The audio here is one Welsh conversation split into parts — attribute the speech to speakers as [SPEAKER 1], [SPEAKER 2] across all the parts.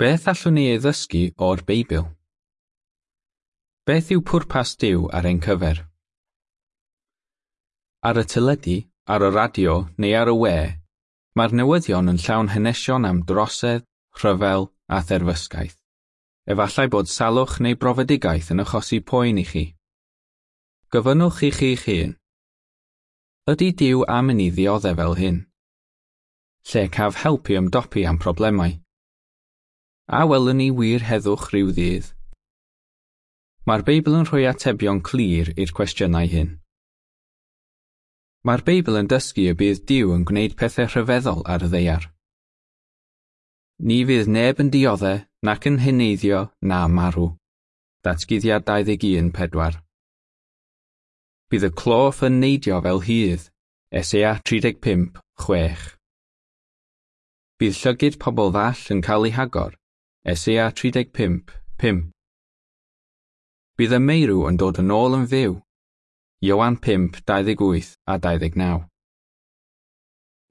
[SPEAKER 1] Beth allwn ni ei ddysgu o'r Beibl? Beth yw pwrpas Duw ar ein cyfer? Ar y teledu, ar y radio neu ar y we, mae'r newyddion yn llawn hanesion am drosedd, rhyfel a therfysgaeth. Efallai bod salwch neu brofedigaeth yn achosi poen i chi. Gofynnwch i chi'ch hun. Ydy Duw am i ni ddioddef fel hyn? Lle caf help i ymdopi am problemau? A welwn ni wir heddwch rhyw ddydd? Mae'r Beibl yn rhoi atebion clir i'r cwestiynau hyn. Mae'r Beibl yn dysgu y bydd Duw yn gwneud pethau rhyfeddol ar y ddaear. Ni fydd neb yn diodde nac yn heneiddio na marw. Datguddiad 21:4. Bydd y cloff yn neidio fel hydd. Eseia 35:6. Bydd llygid pobl ddall yn cael ei hagor. Eseia 35:5. Bydd y meirw yn dod yn ôl yn fyw. Ioan 5:28 a 29.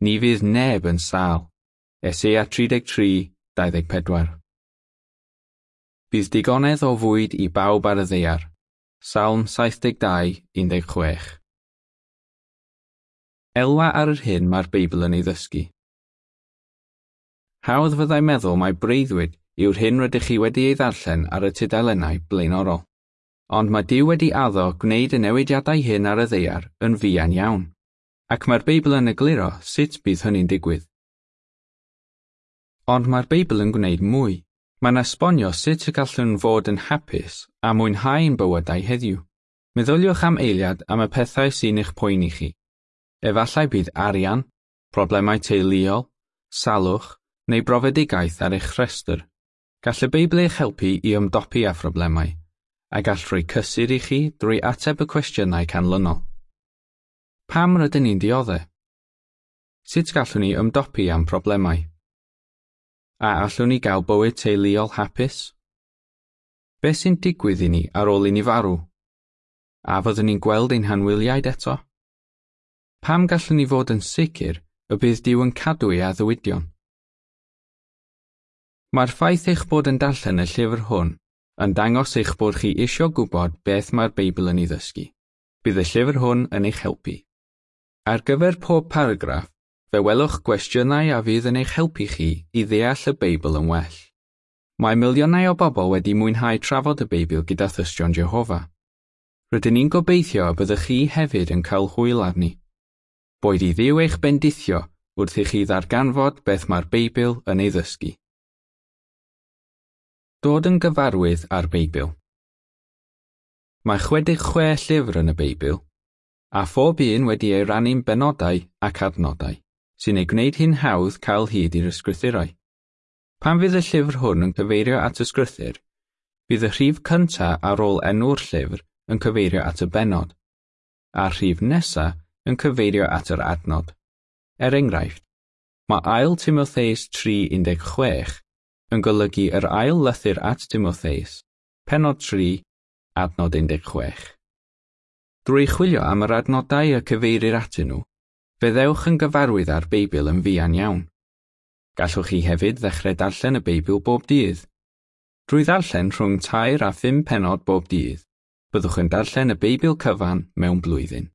[SPEAKER 1] Ni fydd neb yn sâl. Eseia 33:24. Bydd digonedd o fwyd i bawb ar y ddaear. Salm 72:16. Elwa ar yr hyn mae'r Beibl yn ei ddysgu. Hawdd fyddai meddwl mai breuddwyd yw'r hyn rydych chi wedi ei ddarllen ar y tudalennau blaenorol. Ond mae Duw wedi addo gwneud y newidiadau hyn ar y ddaear yn fuan iawn, ac mae'r Beibl yn egluro sut bydd hynny'n digwydd. Ond mae'r Beibl yn gwneud mwy. Mae'n esbonio sut y gallwn fod yn hapus a mwynhau'n bywydau heddiw. Meddyliwch am eiliad am y pethau sy'n eich poeni chi. Efallai bydd arian, problemau teuluol, salwch neu brofedigaeth ar eich rhestr. Gall y Beibl eich helpu i ymdopi â phroblemau, a gall rhoi cysur i chi drwy ateb y cwestiynau canlynol. Pam rydyn ni'n diodde? Sut gallwn ni ymdopi â'n problemau? A allwn ni gael bywyd teuluol hapus? Beth sy'n digwydd i ni ar ôl i ni farw? A fyddwn ni'n gweld ein hanwyliaid eto? Pam gallwn ni fod yn sicr y bydd Duw yn cadw ei addewidion? Mae'r ffaith eich bod yn darllen y llyfr hwn yn dangos eich bod chi isio gwybod beth mae'r Beibl yn ei ddysgu. Bydd y llyfr hwn yn eich helpu. Ar gyfer pob paragraff, fe welwch gwestiynau a fydd yn eich helpu chi i ddeall y Beibl yn well. Mae miliynau o bobl wedi mwynhau trafod y Beibl gyda Thystion Jehofa. Rydyn ni'n gobeithio y byddwch chi hefyd yn cael hwyl arni. Boed i Dduw eich bendithio wrth i chi ddarganfod beth mae'r Beibl yn ei ddysgu. Dod yn gyfarwydd â'r Beibl. Mae 66 llyfr yn y Beibl, a phob un wedi ei rannu'n benodau ac adnodau, sy'n ei gwneud hi'n hawdd cael hyd i'r ysgrythurau. Pan fydd y llyfr hwn yn cyfeirio at ysgrythur, bydd y rhif cyntaf ar ôl enw'r llyfr yn cyfeirio at y bennod, a'r rhif nesaf yn cyfeirio at yr adnod. Er enghraifft, mae 2 Timotheus 3:16 yn golygu yr ail lythyr at Timotheus, pennod 3, adnod 16. Drwy chwilio am yr adnodau y cyfeirir atyn nhw, fe ddewch yn gyfarwydd â'r Beibl yn fuan iawn. Gallwch chi hefyd ddechrau darllen y Beibl bob dydd. Drwy ddarllen rhwng 3 a 5 pennod bob dydd, byddwch yn darllen y Beibl cyfan mewn blwyddyn.